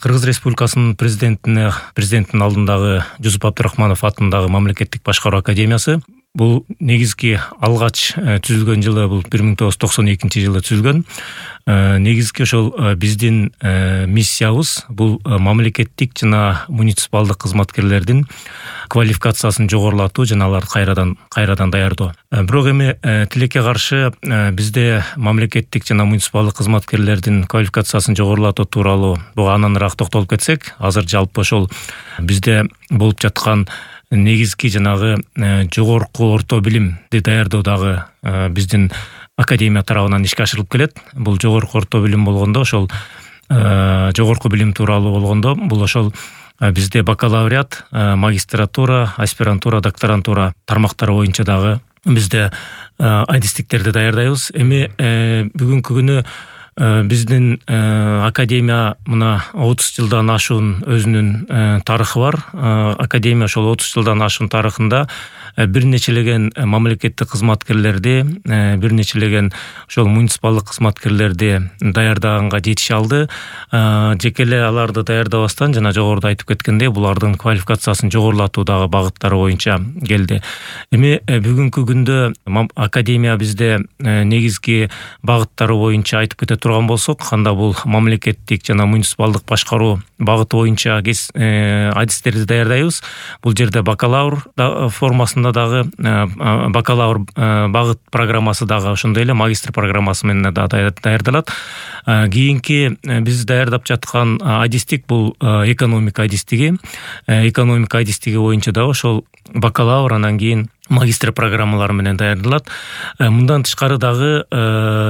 Кыргыз Республикасынын президенттин алдындагы Жусуп Абдурахманов атындагы мамлекеттик башкаруу академиясы бул негизги алгач түзүлгөн жылы бул 1992 түзүлгөн. Негизги ошол биздин миссиябыз бул мамлекеттик жана муниципалдык кызматкерлердин квалификациясын жогорулатуу жана аларды кайрадан даярдоо. Бирок эми тилекке каршы бизде мамлекеттик жана муниципалдык кызматкерлердин квалификациясын жогорулатуу тууралуу буга ананыраак токтолуп кетсек, азыр жалпы ошол бизде болуп жаткан негизги жанагы жогорку орто билимди даярдоодагы биздин академия тарабынан ишке ашырылып келет. Бул жогорку орто билим болгондо ошол жогорку билим тууралуу болгондо бул ошол бизде бакалавриат, магистратура, аспирантура, докторантура тармактары боюнча дагы бизде адистиктерди даярдайбыз. Эми бүгүнкү күнү биздин академия мына 30 жылдан ашуун өзүнүн тарыхы бар. Академия ошол 30 жылдан ашуун тарыхында бир нечелеген мамлекеттик кызматкерлерди, бир нечелеген ошол муниципалдык кызматкерлерди даярдаганга жетише алды. Жеке эле аларды даярдабастан жана жогоруда айтып кеткендей, булардын квалификациясын жогорулатуудагы багыттары боюнча келди. Эми бүгүнкү күндө академия бизде негизги багыттары боюнча айтып кете турган болсок, анда бул мамлекеттик жана муниципалдык башкаруу багыты боюнча адистерди даярдайбыз. Бул жерде бакалавр формасында дагы бакалавр багыт программасы дагы ошондой эле магистр программасы менен да даярдалат. Кийинки биз даярдап жаткан адистик бул экономика адистиги. Экономика адистиги боюнча дагы ошол бакалавр, анан кийин магистр программалары менен даярдалат. Мындан тышкары дагы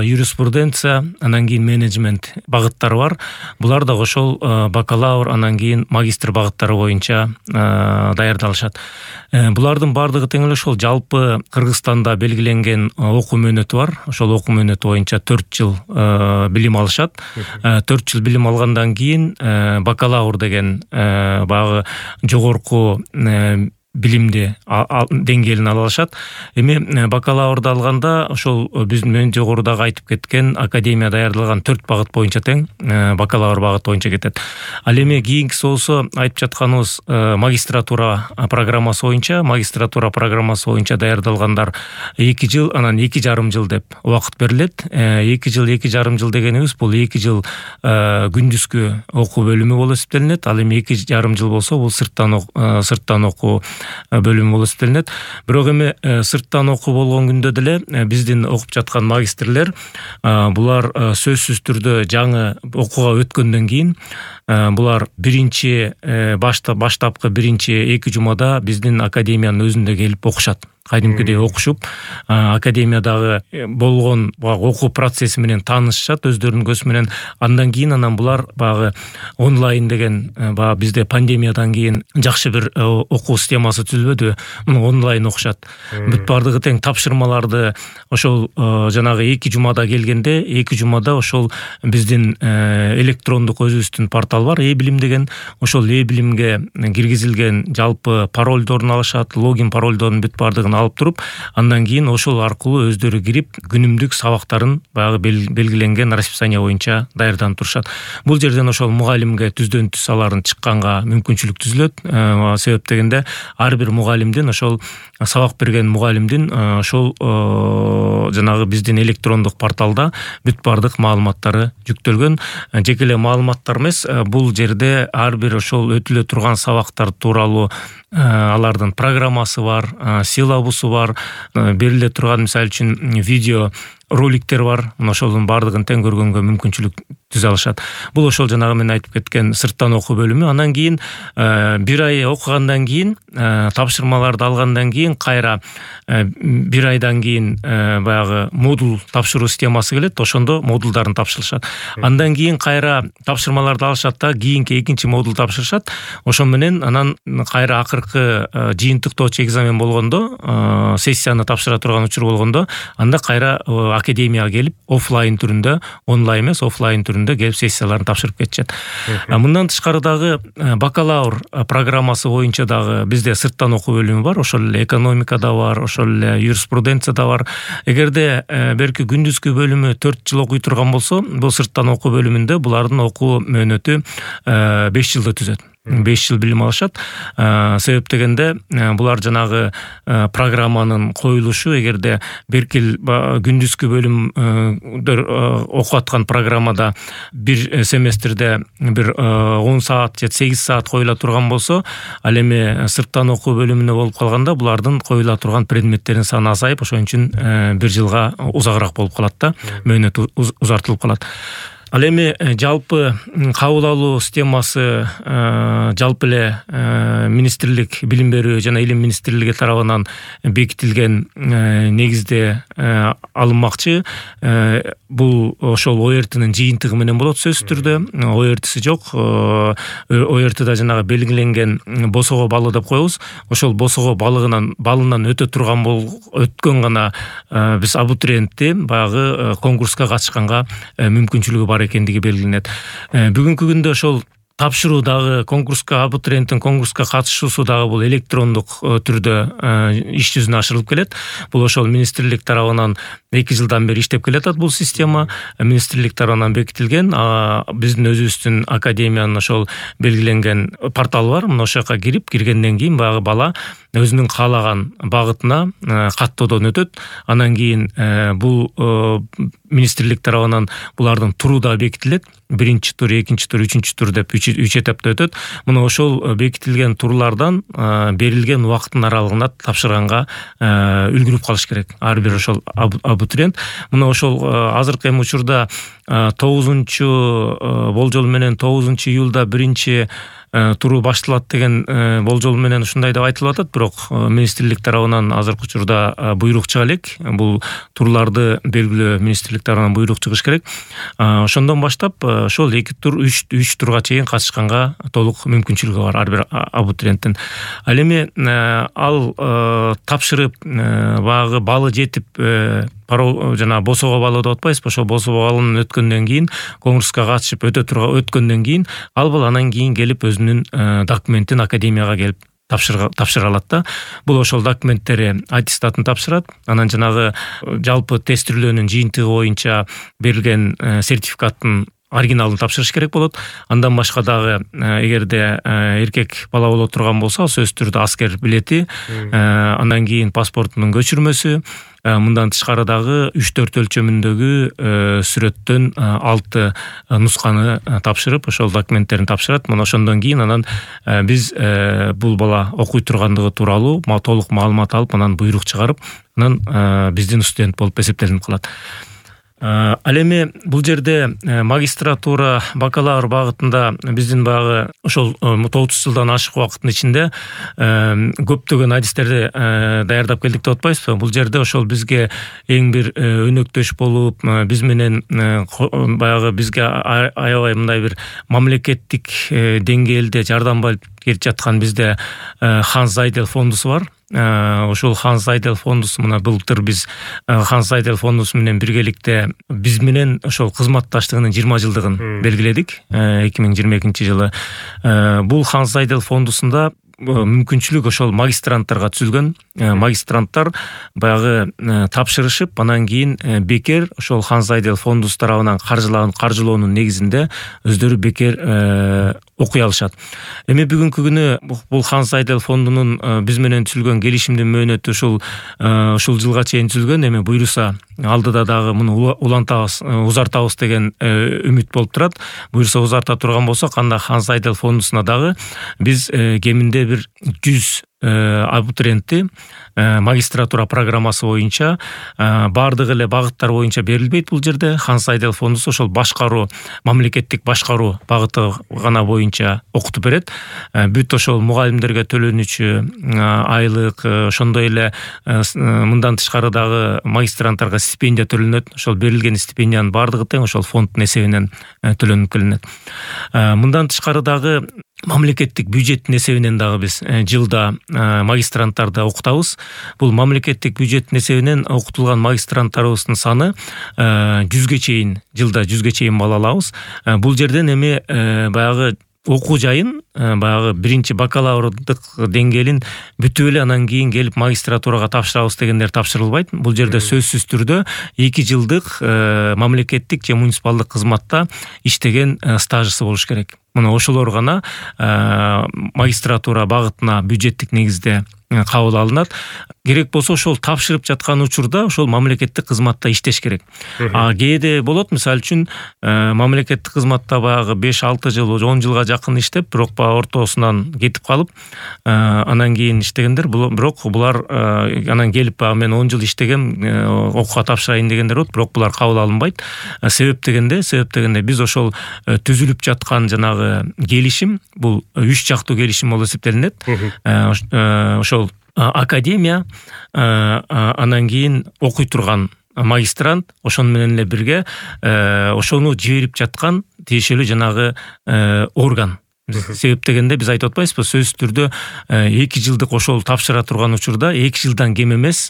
юриспруденция, анан кийин менеджмент багыттары бар. Булар дагы ошол бакалавр, анан кийин магистр багыттары боюнча даярдалышат. Булардын бардыгы тең эле ошол жалпы Кыргызстанда белгиленген окуу мөөнөтү бар. Ошол окуу мөөнөтү боюнча 4 жыл билим алышат. 4 жыл билим алгандан кийин бакалавр деген баягы жогорку билимди деңгээлин ала алышат. Эми бакалаврды алганда ошол биздин жогорудагы айтып кеткен академия даярдалган 4 багыт боюнча тең бакалавр багыт боюнча кетет. Ал эми кийинкиси болсо айтып жатканыбыз магистратура программасы боюнча даярдалгандар 2 жыл, анан 2,5 жыл деп убакыт берилет. 2 жыл, 2,5 жыл дегенибиз бул 2 жыл күндүзгү окуу бөлүмү болуп эсептелинет. Ал эми 2,5 жыл болсо бул сырттан окуу бөлүмү болуп эсептелинет. Бирок эми сырттан окуу болгон күндө деле биздин окуп жаткан магистрлер булар сөзсүз түрдө жаңы окууга өткөндөн кийин булар баштапкы биринчи 2 жумада биздин академиянын өзүндө келип окушат. Кайдымкыдей окушуп, академиядагы болгон окуу процесси менен таанышышат өздөрүнүн көзү менен. Андан кийин булар багы онлайн деген бизде пандемиядан кийин жакшы бир окуу системасы түзүлбөдү. Муну онлайн окушат. Бүт бардыгы тең тапшырмаларды ошол жанагы 2 жумада келгенде, 2 жумада ошол биздин электрондук өзүбүздүн портал бар, e-билим деген. Ошол e-билимге киргизилген жалпы паролдорун алышат, логин паролдорун бүт бардыгын алып туруп, андан кийин ошол аркылуу өздөрү кирип күнүмдүк сабактарын баягы белгиленген расписание боюнча даярданып турушат. Бул жерден ошол мугалимге түздөн түз аларын чыкканга мүмкүнчүлүк түзүлөт. Себеп дегенде ар бир мугалимдин ошол сабак берген мугалимдин ошол жанагы биздин электрондук порталда бүт бардык маалыматтары жүктөлгөн. Жеке эле маалыматтар эмес, бул жерде ар бир ошол өтүлө турган сабактар тууралуу алардын программасы бар, силабусу бар, бериле турган мисалы үчүн видео роликтер бар. Ошолдун бардыгын тең көргөнгө мүмкүнчүлүк түзө алышат. Бул ошол жанагы мен айтып кеткен сырттан окуу бөлүмү. Андан кийин 1 ай окугандан кийин, тапшырмаларды алгандан кийин кайра 1 айдан кийин баягы модул тапшыруу системасы келет. Ошондо модулдарын тапшырышат. Андан кийин кайра тапшырмаларды алышат да кийинки экинчи модул тапшырышат. Ошо менен анан кайра акыркы жыйынтыктоочу экзамен болгондо, сессияны тапшыра турган учур болгондо, анда кайра академияга келип офлайн түрүндө, онлайн эмес, офлайн түрүндө түрүндө келип сессияларын тапшырып кетишет. Мындан тышкары дагы бакалавр программасы боюнча дагы бизде сырттан окуу бөлүмү бар, ошол эле экономикада бар, ошол эле юриспруденцияда бар. Эгерде берки күндүзгү бөлүмү 4 жыл окуй турган болсо, бул сырттан окуу бөлүмүндө булардын окуу мөөнөтү 5 жылда түзөт. 5 жыл билим алышат. Себеп дегенде булар жанагы программанын коюлушу, эгерде беркил күндүзгү бөлүмдөр окуп аткан программада бир семестрде бир 10 саат же 8 саат коюла турган болсо, ал эми сырттан окуу бөлүмүнө болуп калганда булардын коюла турган предметтердин саны азайып, ошон үчүн 1 жылга узагыраак болуп калат да, мөөнөт узартылып калат. Ал эми жалпы кабыл алуу системасы жалпы эле министрлик, билим берүү жана илим министрлиги тарабынан бекитилген негизде алынмакчы. Бул ошол ОРТнын жыйынтыгы менен болот сөзсүз түрдө. ОРТси жок. ОРТда жанагы белгиленген босого баллы деп коебуз. Ошол босого балынан өтө турган өткөн гана биз абитуриентти баягы конкурска катышканга мүмкүнчүлүгү бар экендиги белгиленет. Бүгүнкү күндө ошол тапшыруу дагы конкурска, абитуриенттин конкурска катышуусу дагы бул электрондук түрдө иш жүзүнө ашырылып келет. Бул ошол министрлик тарабынан 2 жылдан бери иштеп келатат бул система. Министрлик тарабынан бекитилген, биздин өзүбүздүн академиянын ошол белгиленген порталы бар. Мына ошол жака киргенден кийин баягы бала өзүнүн каалаган багытына каттоодон өтөт. Анан кийин бул министрлик тарабынан булардын туру да бекитилет. 1-чи тур, 2-чи тур, 3-чү тур деп 3 этапта өтөт. Мына ошол бекитилген турлардан берилген убакыттын аралыгында тапшырганга үлгүрүп калыш керек. Ар бир ошол абитуриент. Мына ошол азыркы эми учурда 9-чу болжол менен 9-июлда 1-чи туру башталат деген болжол менен ушундай деп айтылып атат, бирок министрлик тарабынан азыркы учурда буйрук чыга элек. Бул турларды белгилөө министрлик тарабынан буйрук чыгыш керек. Ошондон баштап ошол 2 тур, 3 турга чейин катышканга толук мүмкүнчүлүгү бар ар бир абитуриенттин. Ал эми ал тапшырып баягы балы жетип жана босого баллы деп атпайсызбы, ошол босого баллын өткөндөн кийин конкурска катышып өткөндөн кийин ал анан кийин келип өзүнүн документин академияга келип тапшыра алат да. Бул ошол документтери аттестатын тапшырат. Анан жанагы жалпы тестирлөөнүн жыйынтыгы боюнча берилген сертификаттын оригиналын тапшырыш керек болот. Андан башка дагы эгерде эркек бала боло турган болсо, сөзсүз түрдө аскер билети, андан кийин паспортунун көчүрмөсү, мындан тышкары дагы 3-4 өлчөмүндөгү сүрөттөн 6 нусканы тапшырып, ошол документтерин тапшырат. Мына ошондон кийин анан биз бул бала окуй тургандыгы тууралуу толук маалымат алып, анан буйрук чыгарып, анан биздин студент болуп эсептелип калат. Ал эми бул жерде магистратура, бакалавр багытында биздин баягы ошол 30 жылдан ашык убакыттын ичинде көптөгөн адистерди даярдап келдик деп атпайсызбы? Бул жерде ошол бизге эң бир өнөктөш болуп, биз менен баягы бизге аябай мындай бир мамлекеттик деңгээлде жардам берип жаткан бизде Ханс Зайдел фондусу бар. Ошол Ханс Зайдел фондусу мына былтыр биз Ханс Зайдел фондусу менен биргеликте биз менен ошол кызматташтыгынын 20 жылдыгын белгиледик 2022-жылы. Бул Ханс Зайдел фондусунда мүмкүнчүлүк ошол магистранттарга түзүлгөн. Магистранттар баягы тапшырышып, анан кийин бекер ошол Ханс Зайдел фондусу тарабынан каржылоонун негизинде өздөрү бекер окуй алышат. Эми бүгүнкү күнү бул Ханс Зайдел фондунун биз менен түзүлгөн келишимдин мөөнөтү ушул жылга чейин түзүлгөн. Эми буйруса алдыда дагы муну улантабыз, узартабыз деген үмүт болуп турат. Буйруса узарта турган болсок, анда Ханс Зайдел фондусуна дагы биз кеминде бир 100 абитуриентти магистратура программасы боюнча бардык эле багыттар боюнча берилбейт. Бул жерде Ханс Зайдел фондусу ошол башкаруу, мамлекеттик башкаруу багыты гана боюнча окутуп берет. Бүт ошол мугалимдерге төлөнүчү айлык, ошондой эле мындан тышкары дагы магистранттарга стипендия төлөнөт. Ошол берилген стипендиянын бардыгы тең ошол фонддун эсебинен төлөнүп келинет. Мындан тышкары дагы мамлекеттик бюджеттин эсебинен дагы биз жылда магистранттарды окутабыз. Бул мамлекеттик бюджеттин эсебинен окутулган магистранттарыбыздын саны 100ге чейин, жылда 100ге чейин бала алабыз. Бул жерден эми баягы окуу жайын, баягы биринчи бакалаврдык деңгээлин бүтүп эле анан кийин келип магистратурага тапшырабыз дегендер тапшырылбайт. Бул жерде сөзсүз түрдө 2 жылдык мамлекеттик же муниципалдык кызматта иштеген стажысы болуш керек. Мына ошолор гана магистратура багытына бюджеттик негизде кабыл алынат. Керек болсо ошол тапшырып жаткан учурда ошол мамлекеттик кызматта иштеш керек. Кээде болот, мисалы үчүн мамлекеттик кызматта баягы 5-6 жыл, 10 жылга жакын иштеп, бирок баягы ортосунан кетип калып, анан кийин иштегендер, бирок булар анан келип баягы мен 10 жыл иштегем, окууга тапшырайын дегендер болот, бирок булар кабыл алынбайт. Себеп дегенде биз ошол түзүлүп жаткан жанагы келишим, бул 3 жактуу келишим болуп эсептелинет. Ошол академия, анан кийин окуй турган магистрант, ошону менен эле бирге ошону жиберип жаткан тиешелүү жанагы орган. Себеп дегенде биз айтып атпайбызбы, сөзсүз түрдө 2 жылдык ошол тапшыра турган учурда 2 жылдан кем эмес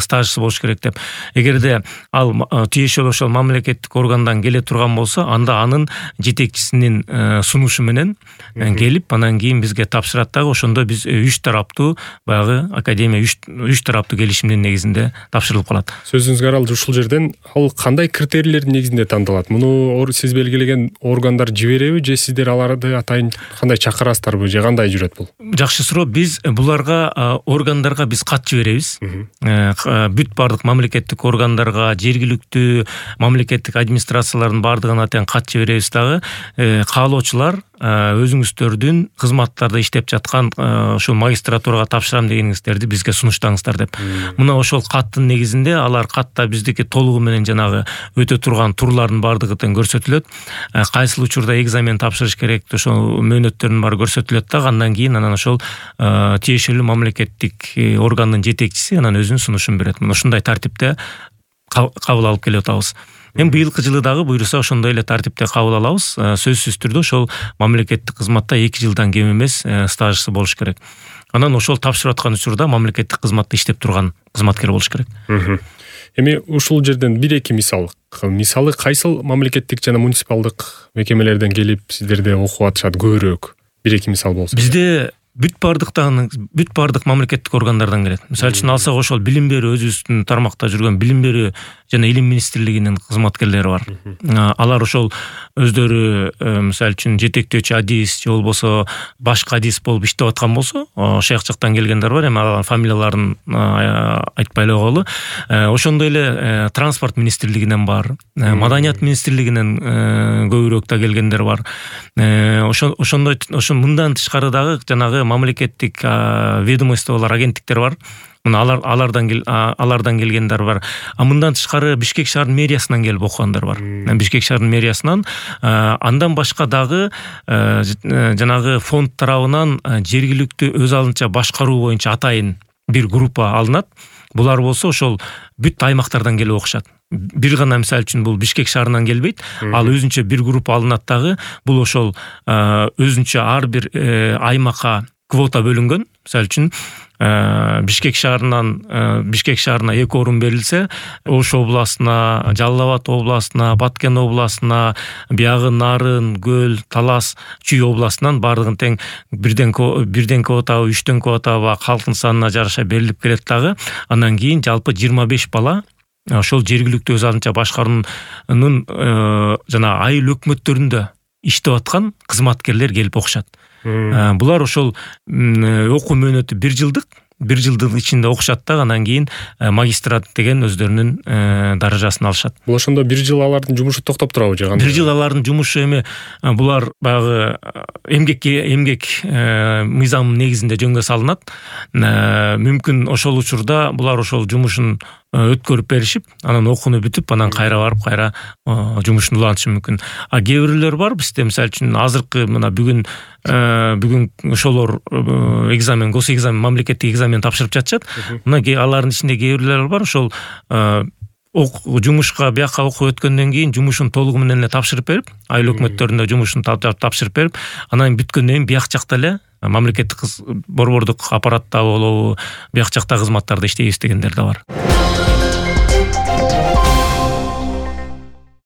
стажысы болуш керек деп. Эгерде ал тиешелүү ошол мамлекеттик органдан келе турган болсо, анда анын жетекчисинин сунушу менен келип, анан кийин бизге тапшырат дагы. Ошондо биз 3 тараптуу баягы академия 3 тараптуу келишимдин негизинде тапшырылып калат. Сөзүңүзгө аралып ушул жерден ал кандай критерийлердин негизинде тандалат? Муну сиз белгилеген органдар жибереби же сиздер аларды атайын кандай чакырасыздарбы же кандай жүрөт бул? Жакшы суроо. Биз буларга органдарга биз кат жиберебиз. Бүт бардык мамлекеттик органдарга, жергиликтүү мамлекеттик администрациялардын бардыгына тең кат жиберебиз дагы. Каалоочулар өзүңүздөрдүн кызматтарда иштеп жаткан ошол магистратурага тапшырам дегениңиздерди бизге сунуштаңыздар деп. Мына ошол каттын негизинде алар катта биздики толугу менен жанагы өтө турган турлардын бардыгы тең көрсөтүлөт. Кайсыл учурда экзамен тапшырыш керек, ошол мөөнөттөрдүн баары көрсөтүлөт дагы. Андан кийин анан ошол тиешелүү мамлекеттик органдын жетекчиси анан өзүнүн сунушун берет. Мына ушундай тартипте кабыл алып келип атабыз. Эми быйылкы жылы дагы буйруса ошондой эле тартипте кабыл алабыз. Сөзсүз түрдө ошол мамлекеттик кызматта 2 жылдан кем эмес стажысы болуш керек. Анан ошол тапшырып аткан учурда мамлекеттик кызматта иштеп турган кызматкер болуш керек. Эми ушул жерден 1-2 мисалы, кайсыл мамлекеттик жана муниципалдык мекемелерден келип сиздерде окуп атышат көбүрөөк? 1-2 мисал болсо. Бизде бүт бардык мамлекеттик органдардан келет. Мисалы үчүн алсак, ошол билим берүү, өзүбүздүн тармакта жүргөн билим берүү жана илим министрлигинин кызматкерлери бар. Алар ошол өздөрү мисалы үчүн жетектөөчү адис же болбосо башка адис болуп иштеп аткан болсо, ошол жактан келгендер бар. Эми алардын фамилияларын айтпай эле койгулу. Ошондой эле транспорт министрлигинен бар, маданият министрлигинен көбүрөөк да келгендер бар. Ошондой мындан тышкары дагы жанагы мамлекеттик ведомстволор, агенттиктер бар. Мына алардан келгендер бар. Мындан тышкары Бишкек шаарынын мэриясынан келип окугандар бар. Бишкек шаарынын мэриясынан, андан башка дагы жанагы фонд тарабынан жергиликтүү өз алынча башкаруу боюнча атайын бир группа алынат. Булар болсо ошол бүт аймактардан келип окушат. Бир гана мисалы үчүн бул Бишкек шаарынан келбейт. Ал өзүнчө бир группа алынат дагы. Бул ошол өзүнчө ар бир аймакка квота бөлүнгөн. Мисалы үчүн Бишкек шаарына 2 орун берилсе, Ош областына, Жалал Абад областына, Баткен областына, биягы Нарын, Көл, Талас, Чүй областынан бардыгын тең бирден квотабы, 3төн квотабы калктын санына жараша берилип келет дагы. Андан кийин жалпы 25 бала ошол жергиликтүү өз алынча башкаруунун жана айыл өкмөттөрүндө иштеп аткан кызматкерлер келип окушат. Булар ошол окуу мөөнөтү 1 жылдын ичинде окушат да, анан кийин магистрат деген өздөрүнүн даражасын алышат. Бул ошондо 1 жыл алардын жумушу токтоп турабы же кандай? 1 жыл алардын жумушу эми булар баягы эмгек мыйзамынын негизинде жөнгө салынат. Мүмкүн ошол учурда булар ошол жумушун өткөрүп беришип, анан окууну бүтүп, анан кайра барып, кайра жумушун улантышы мүмкүн. Кээ бирлер бар бизде, мисалы үчүн азыркы мына бүгүн ошолор госэкзамен, мамлекеттик экзамен тапшырып жатышат. Мына алардын ичинде кээ бирлер бар, ошол жумушка бияка окуп өткөндөн кийин жумушун толугу менен эле тапшырып берип, айыл өкмөттөрүндө жумушун тапшырып берип, анан бүткөндөн кийин бияк жакта эле мамлекеттик борбордук аппаратта болобу, бияк жакта кызматтарда иштейбиз дегендер да бар.